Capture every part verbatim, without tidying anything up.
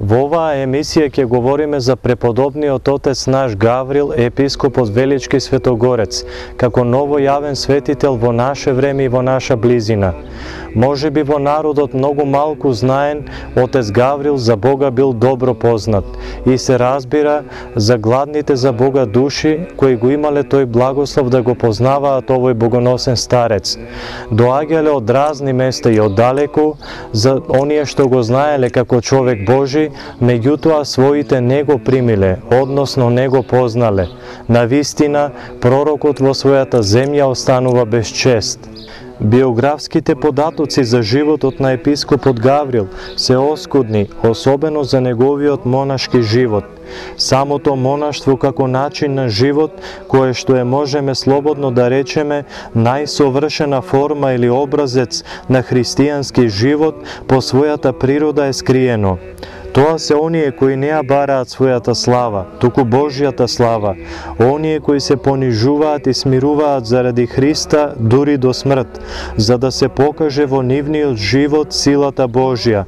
Во оваа емисија ќе говориме за преподобниот отец наш Гаврил, епископот Велички Светогорец, како новојавен светител во наше време и во наша близина. Може би во народот многу малку знаен, отец Гаврил за Бога бил добро познат и се разбира за гладните за Бога души кои го имале тој благослов да го познаваат овој богоносен старец. Доаѓале од разни места и оддалеку, за оние што го знаеле како човек Божи, меѓутоа своите не го примиле, односно не го познале. Навистина, пророкот во својата земја останува без чест. Биографските податоци за животот на епископот Гаврил се оскудни, особено за неговиот монашки живот. Самото монаштво како начин на живот, кое што е можеме слободно да речеме најсовршена форма или образец на христијански живот, по својата природа е скриено. Тоа се оние кои не ја бараат својата слава, туку Божјата слава, оние кои се понижуваат и смируваат заради Христа дури до смрт, за да се покаже во нивниот живот силата Божја.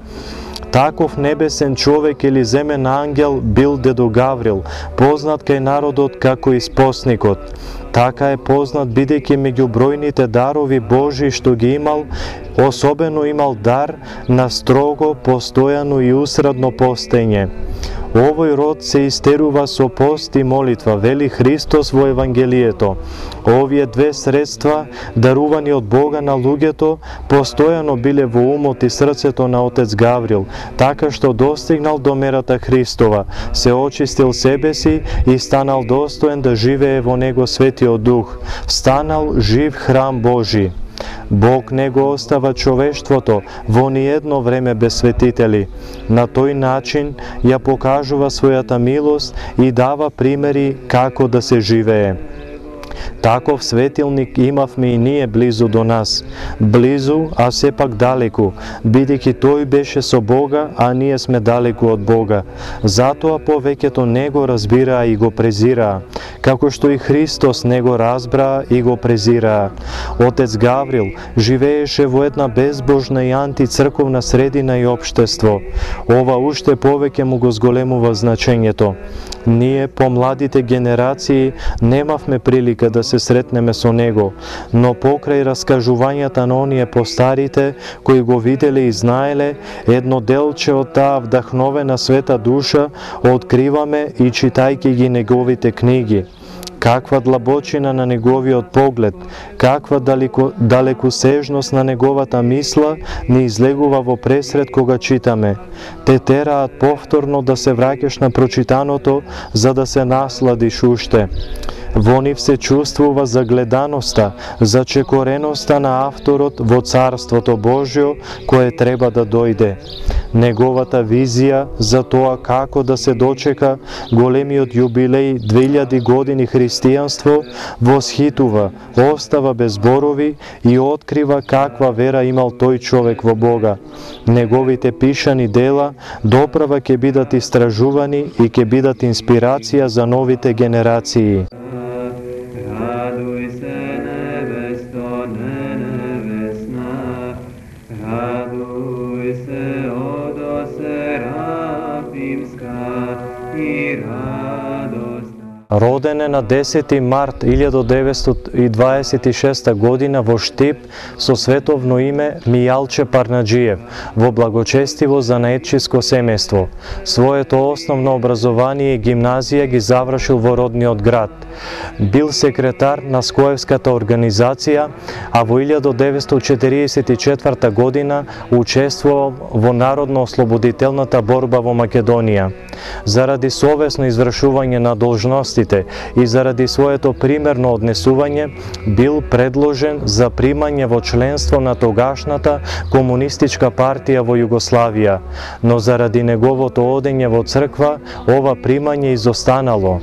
Таков небесен човек или земен ангел бил дедо Гаврил, познат кај народот како испосникот. Така е познат бидејќи меѓу бројните дарови Божи што ги имал, особено имал дар на строго, постојано и усредно постење. Овој род се истерува со пост и молитва, вели Христос во Евангелието. Овие две средства, дарувани од Бога на луѓето, постојано биле во умот и срцето на отец Гаврил, така што достигнал до мерата Христова, се очистил себе си и станал достоен да живее во него Светиот Дух, станал жив храм Божи. Бог не го остава човештвото во ниедно време без светители. На тој начин ја покажува својата милост и дава примери како да се живее. Таков светилник имавме и ние близу до нас. Близу, а сепак далеку, бидејќи тој беше со Бога, а ние сме далеку од Бога. Затоа повеќето не го разбираа и го презираа, како што и Христос не го разбраа и го презираа. Отец Гаврил живееше во една безбожна и антицрковна средина и општество. Ова уште повеќе му го зголемува значењето. Ние, помладите генерации, немавме прилика да се сретнеме со него, но покрај раскажувањата на оние постарите, кои го виделе и знаеле, едно делче од таа вдахновена света душа откриваме и читајќи ги неговите книги. Каква длабочина на неговиот поглед, каква далеко, далекосежност на неговата мисла ни излегува во пресред кога читаме. Те тераат повторно да се враќаш на прочитаното, за да се насладиш уште. Во нив се чувствува загледаноста, зачекореноста на авторот во Царството Божјо, кое треба да дојде. Неговата визија за тоа како да се дочека големиот јубилеј две илјади години христијанство восхитува, остава без зборови и открива каква вера имал тој човек во Бога. Неговите пишани дела доправа ќе бидат истражувани и ќе бидат инспирација за новите генерации. Роден е на десети март илјада деветстотини и дваесет и шеста година во Штип со световно име Мијалче Парнаџиев во благочестиво занаетчиско семејство. Своето основно образование и гимназија ги завршил во родниот град. Бил секретар на Скоевската организација, а во илјада деветстотини четириесет и четврта година учествувал во народно-ослободителната борба во Македонија. Заради совесно извршување на должности и заради своето примерно однесување бил предложен за примање во членство на тогашната комунистичка партија во Југославија, но заради неговото одење во црква ова примање изостанало.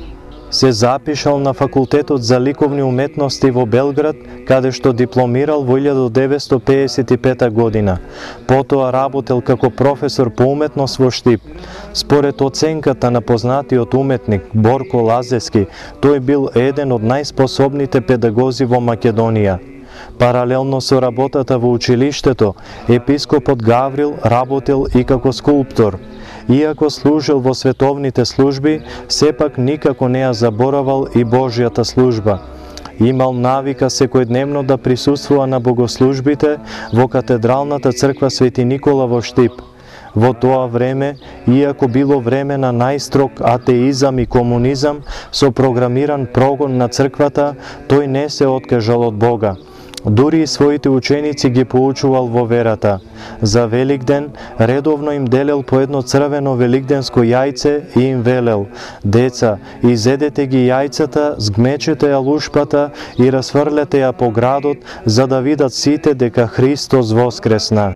Се запишал на факултетот за ликовни уметности во Белград, каде што дипломирал во илјада деветстотини пеесет и пета година. Потоа работел како професор по уметност во Штип. Според оценката на познатиот уметник Борко Лазевски, тој бил еден од најспособните педагози во Македонија. Паралелно со работата во училиштето, епископот Гаврил работел и како скулптор. Иако служил во световните служби, сепак никако не ја заборавал и Божјата служба. Имал навика секојдневно да присуствува на богослужбите во катедралната црква Свети Никола во Штип. Во тоа време, иако било време на најстрог атеизам и комунизам со програмиран прогон на црквата, тој не се откажал од Бога. Дури и своите ученици ги поучувал во верата. За Великден редовно им делел по едно црвено великденско јајце и им велел: деца, изедете ги јајцата, згмечете ја лушпата и расфрлете ја по градот, за да видат сите дека Христос воскресна.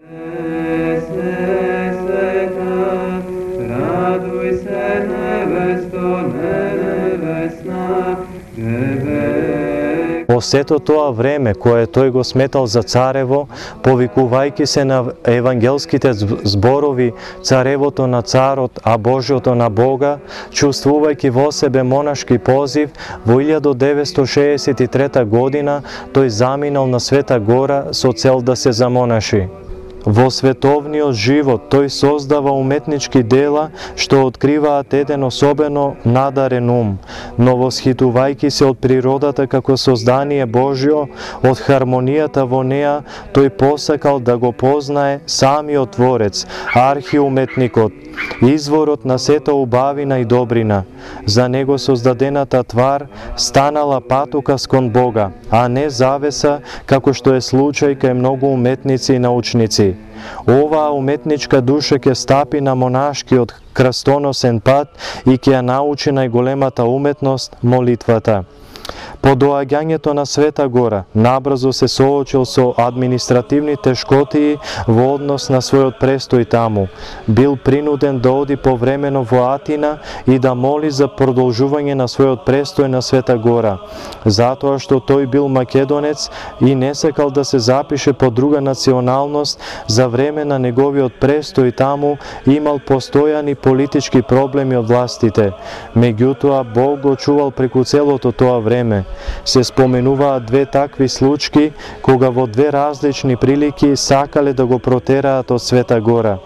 Во сето тоа време, кое тој го сметал за царево, повикувајќи се на евангелските зборови царевото на царот, а Божјото на Бога, чувствувајќи во себе монашки позив, во илјада деветстотини шеесет и трета година тој заминал на Света Гора со цел да се замонаши. Во световниот живот тој создава уметнички дела што откриваат еден особено надарен ум, но восхитувајќи се од природата како создание Божјо, од хармонијата во неа, тој посакал да го познае самиот Творец, архиуметникот, изворот на сета убавина и добрина. За него создадената твар станала патукас кон Бога, а не завеса, како што е случај кај многу уметници и научници. Оваа уметничка душа ќе стапи на монашкиот крстоносен пат и ќе ја научи најголемата уметност, молитвата. По доаѓањето на Света Гора, набрзо се соочил со административни тешкотии во однос на својот престој таму. Бил принуден да оди повремено во Атина и да моли за продолжување на својот престој на Света Гора, затоа што тој бил македонец и не сакал да се запише по друга националност. За време на неговиот престој таму имал постојани политички проблеми од властите. Меѓутоа, Бог го чувал преку целото тоа време. Се споменуваат две такви случаи, кога во две различни прилики сакале да го протераат од Света Гора.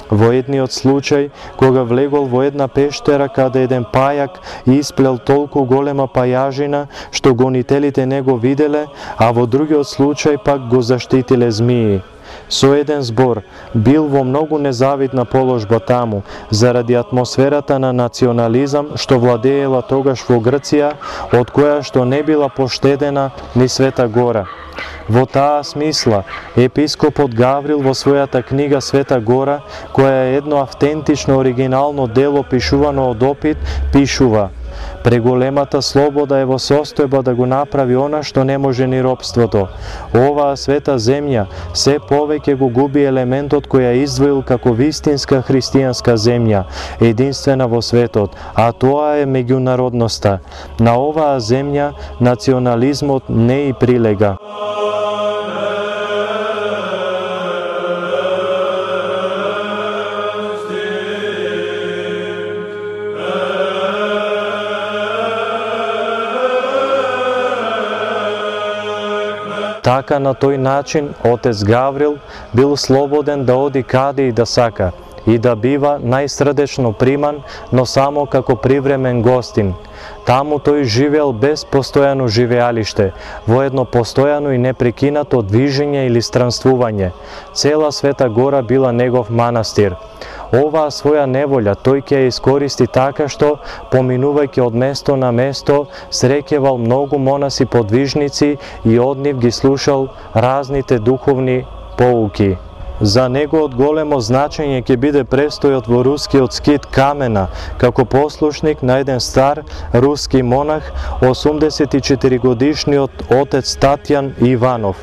Во едниот случај, кога влегол во една пештера каде еден пајак исплел толку голема пајажина што гонителите не го виделе, а во другиот случај пак го заштитиле змии. Со еден збор, бил во многу незавидна положба таму, заради атмосферата на национализам што владеела тогаш во Грција, од која што не била поштедена ни Света Гора. Во таа смисла, епископот Гаврил во својата книга Света Гора, која е едно автентично оригинално дело пишувано од опит, пишува: преголемата слобода е во состојба да го направи она што не може ни робството. Оваа света земја се повеќе го губи елементот кој ја издвоил како вистинска христијанска земја, единствена во светот, а тоа е меѓународноста. На оваа земја национализмот не и прилега. Така на тој начин отец Гаврил бил слободен да оди каде и да сака и да бива најсрдечно приман, но само како привремен гостин. Таму тој живеел без постојано живеалиште, во едно постојано и непрекинато движење или странствување. Цела Света Гора била негов манастир. Оваа своја неволја тој ќе ја искористи така што, поминувајќи од место на место, среќевал многу монаси подвижници и од нив ги слушал разните духовни поуки. За него од големо значење ќе биде престојот во рускиот скит Камена, како послушник на еден стар руски монах, осумдесет и четири годишниот отец Татјан Иванов.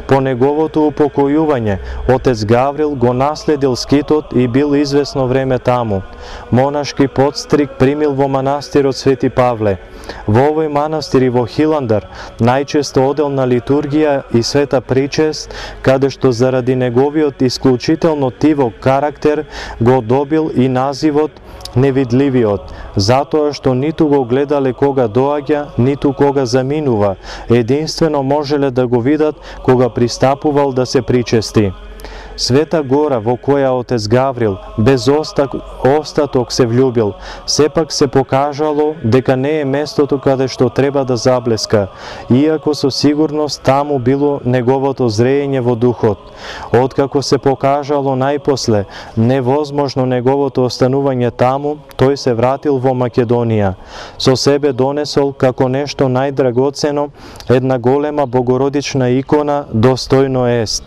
По неговото упокојување, отец Гаврил го наследил скитот и бил известно време таму. Монашки подстриг примил во манастирот Свети Павле. Во овој манастир и во Хиландар најчесто одел на литургија и света причест, каде што заради неговиот исклучително тивок карактер го добил и називот невидливиот, затоа што ниту го гледале кога доаѓа, ниту кога заминува, единствено можеле да го видат кога пристапувал да се причести. Света гора во која отец Гаврил без остаток се влюбил, сепак се покажало дека не е местото каде што треба да заблеска, иако со сигурност таму било неговото зреење во духот. Откако се покажало најпосле невозможно неговото останување таму, тој се вратил во Македонија. Со себе донесол како нешто најдрагоцено една голема богородична икона достојно ест.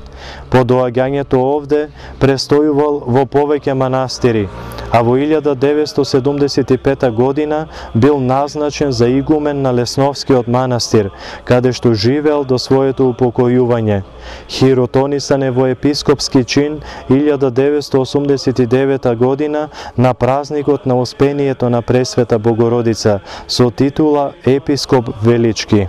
По доаѓањето овде престојувал во повеќе манастири, а во илјада деветстотини седумдесет и пета година бил назначен за игумен на Лесновскиот манастир, каде што живеел до своето упокојување. Хиротонисан е во епископски чин илјада деветстотини осумдесет и девета година на празникот на Успението на Пресвета Богородица со титула Епископ Велички.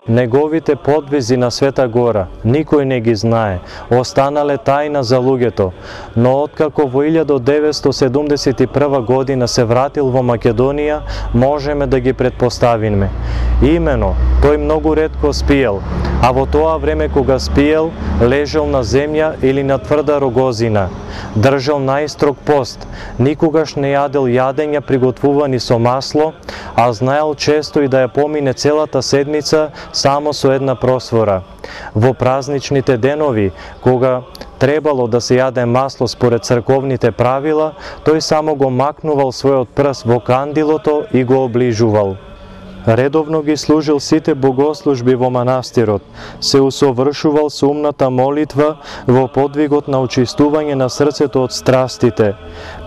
Неговите подвизи на Света Гора никој не ги знае, останале тајна за луѓето, но откако во илјада деветстотини седумдесет и прва година се вратил во Македонија, можеме да ги предпоставиме. Имено, тој многу ретко спиел, а во тоа време кога спиел, лежал на земја или на тврда рогозина. Држал најстрог пост, никогаш не јадел јадења приготвувани со масло, а знаел често и да ја помине целата седмица само со една просвора. Во празничните денови, кога требало да се јаде масло според црковните правила, тој само го макнувал својот прст во кандилото и го оближувал. Редовно ги служил сите богослужби во манастирот, се усовршувал со умната молитва во подвигот на очистување на срцето од страстите.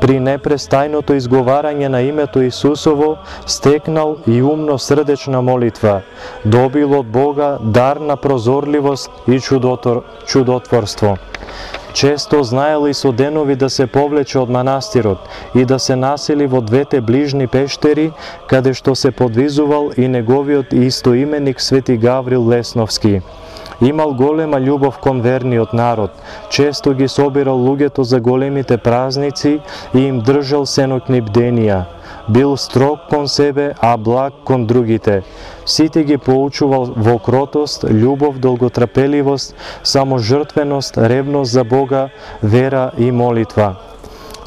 При непрестајното изговарање на името Исусово стекнал и умно срдечна молитва. Добил од Бога дар на прозорливост и чудотвор, чудотворство. Често знаел и со денови да се повлече од манастирот и да се насели во двете ближни пештери, каде што се подвизувал и неговиот истоименик Свети Гаврил Лесновски. Имал голема љубов кон верниот народ, често ги собирал луѓето за големите празници и им држал сенокни бденија. Бил строг кон себе, а благ кон другите. Сите ги поучувал во кротост, љубов, долготрпеливост, саможртвеност, ревност за Бога, вера и молитва.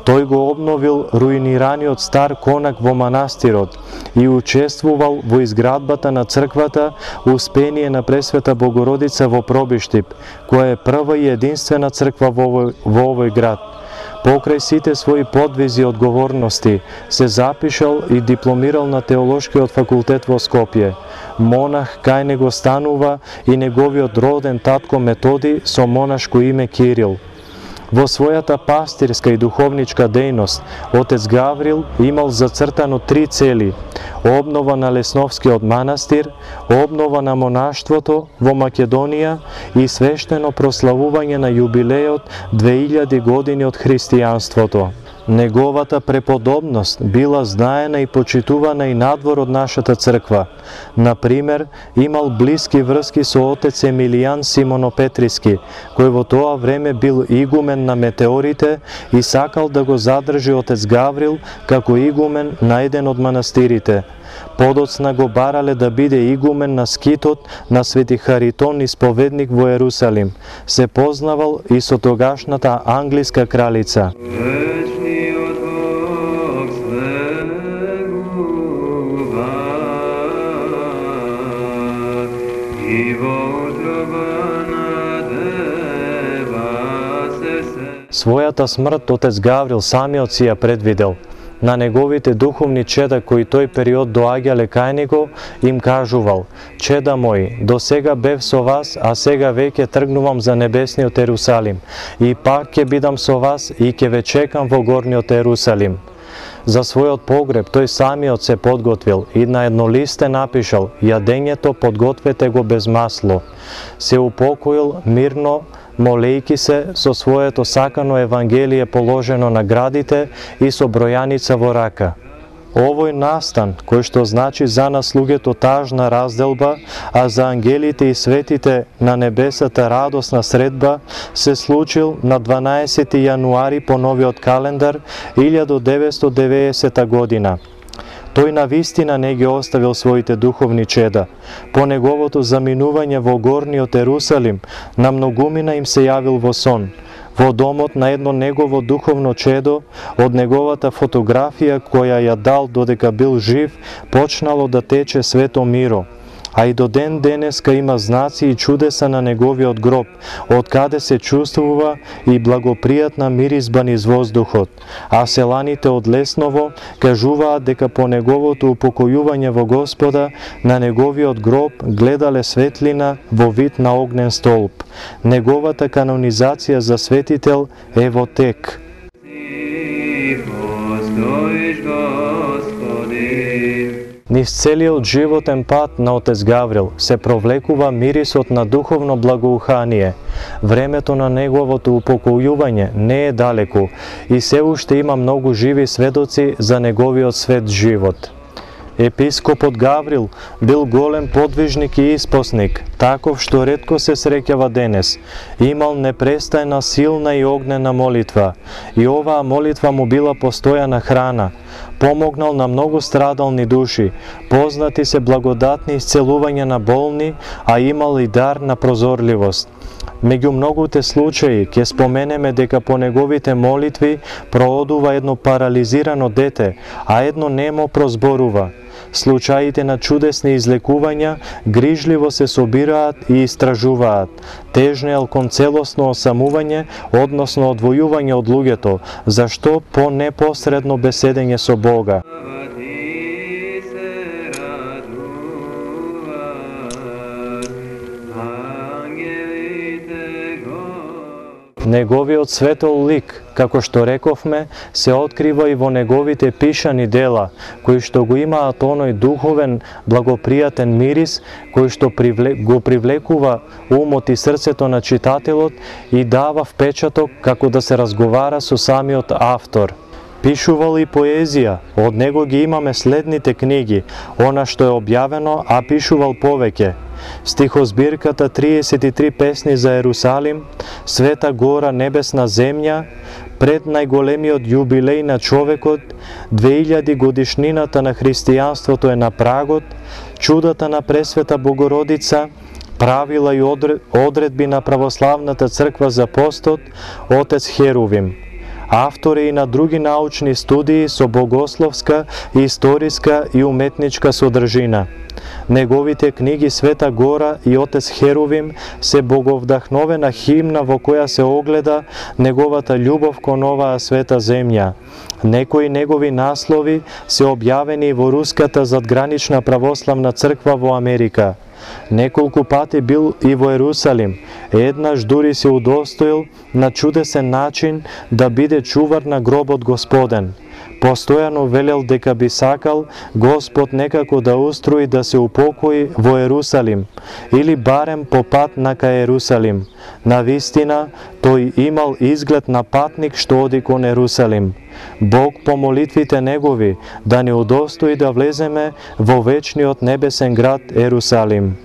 Тој го обновил руинираниот стар конак во манастирот и учествувал во изградбата на црквата Успение на Пресвета Богородица во Пробиштип, која е прва и единствена црква во овој, во овој град. Покрај сите своји подвизи и одговорности, се запишал и дипломирал на Теолошкиот факултет во Скопје. Монах кај него станува и неговиот роден татко Методи со монашко име Кирил. Во својата пастирска и духовничка дејност, отец Гаврил имал зацртано три цели: обнова на Лесновскиот манастир, обнова на монаштвото во Македонија и свештено прославување на јубилеот две илјади години од христијанството. Неговата преподобност била знаена и почитувана и надвор од нашата црква. Например, имал блиски врски со отец Емилијан Симонопетриски, кој во тоа време бил игумен на Метеорите и сакал да го задржи отец Гаврил како игумен на еден од манастирите. Подоцна го барале да биде игумен на скитот на Свети Харитон, исповедник во Ерусалим. Се познавал и со тогашната англиска кралица. Својата смрт отец Гаврил самиот си ја предвидел. На неговите духовни чеда кои тој период доаѓале кај него, им кажувал: чеда мои, до сега бев со вас, а сега веќе тргнувам за небесниот Ерусалим, и пак ќе бидам со вас и ќе ве чекам во горниот Ерусалим. За својот погреб тој самиот се подготвил и на едно листе напишал: јадењето подгответе го без масло. Се упокоил мирно, молејки се со своето сакано Евангелие положено на градите и со бројаница во рака. Овој настан, кој што значи за нас луѓето тажна разделба, а за ангелите и светите на небесата радосна средба, се случил на дванаесети јануари по новиот календар илјада деветстотини и деветдесета година. Тој навистина не ги оставил своите духовни чеда. По неговото заминување во горниот Ерусалим, на многумина им се јавил во сон. Во домот на едно негово духовно чедо, од неговата фотографија која ја дал додека бил жив, почнало да тече свето миро. А и до ден денеска има знаци и чудеса на неговиот гроб, од каде се чувствува и благопријатна миризба низ воздухот. А селаните од Лесново кажуваат дека по неговото упокојување во Господа, на неговиот гроб гледале светлина во вид на огнен столб. Неговата канонизација за светител е во тек. Низ целиот животен пат на отец Гаврил се провлекува мирисот на духовно благоухание. Времето на неговото упокојување не е далеку и се уште има многу живи сведоци за неговиот свет живот. Епископот Гаврил бил голем подвижник и испосник, таков што ретко се среќава денес. Имал непрестајна силна и огнена молитва, и оваа молитва му била постојана храна. Помогнал на многу страдални души, познати се благодатни исцелувања на болни, а имал и дар на прозорливост. Меѓу многуте случаи ќе споменеме дека по неговите молитви проодува едно парализирано дете, а едно немо прозборува. Случаите на чудесни излекувања грижливо се собираат и истражуваат. Тежнеел кон целосно осамување, односно одвојување од луѓето, зашто по непосредно беседење со Бога. Неговиот светол лик, како што рековме, се открива и во неговите пишани дела, кои што го имаат оној духовен, благопријатен мирис, кој што привле... го привлекува умот и срцето на читателот и дава впечаток како да се разговара со самиот автор. Пишувал и поезија, од него ги имаме следните книги, она што е објавено, а пишувал повеќе. Стихозбирката триесет и три песни за Ерусалим, Света гора, небесна земја, пред најголемиот јубилеј на човекот, две илјади годишнината на христијанството е на прагот, чудата на Пресвета Богородица, правила и одредби на православната црква за постот, отец Херувим. Автори и на други научни студии со богословска, историска и уметничка содржина. Неговите книги Света гора и Отец Херувим се боговдахновена химна во која се огледа неговата љубов кон оваа света земја. Некои негови наслови се објавени во Руската задгранична православна црква во Америка. Неколку пати бил и во Ерусалим, еднаш дури се удостоил на чудесен начин да биде чувар на гробот Господен. Постојано велел дека би сакал Господ некако да устрои да се упокои во Ерусалим, или барем по пат на кај Ерусалим. Навистина, тој имал изглед на патник што оди кон Ерусалим. Бог по молитвите негови да ни удостои да влеземе во вечниот небесен град Ерусалим.